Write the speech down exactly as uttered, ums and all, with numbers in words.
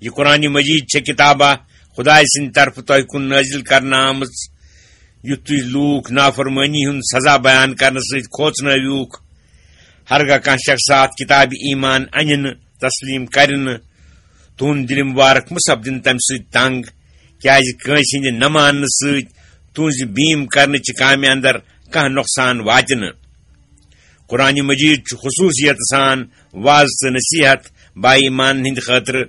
یہِ قرآن مجید چھےٚ کتابہ خدایہِ سٕنٛدِ طرفہٕ تۄہہِ کُن نٲزِل کرنہٕ آمٕژ، یُتھ تُہۍ لوٗکھ نافرمٲنی ہُنٛد سزا بیان کرنہٕ سۭتۍ کھوژنٲوِوکھ۔ ہرگاہ کانٛہہ شخص اتھ کتابہِ ایمان انہِ نہٕ، تسلیم کرِ نہٕ، تُہُنٛد دِلہِ مبارک مہ سپدِن تمہِ سۭتۍ تنگ، کیازِ کٲنٛسہِ ہٕنٛدِ نہ ماننہٕ سۭتۍ تُہٕنٛزِ بیٖم کرنٕچہِ کامہِ اندر کانٛہہ نۄقصان واتہِ نہٕ۔ قرآن مجید چھُ خصوٗصیت سان واز تہٕ نصیحت با ایمان ہٕنٛدِ خٲطرٕ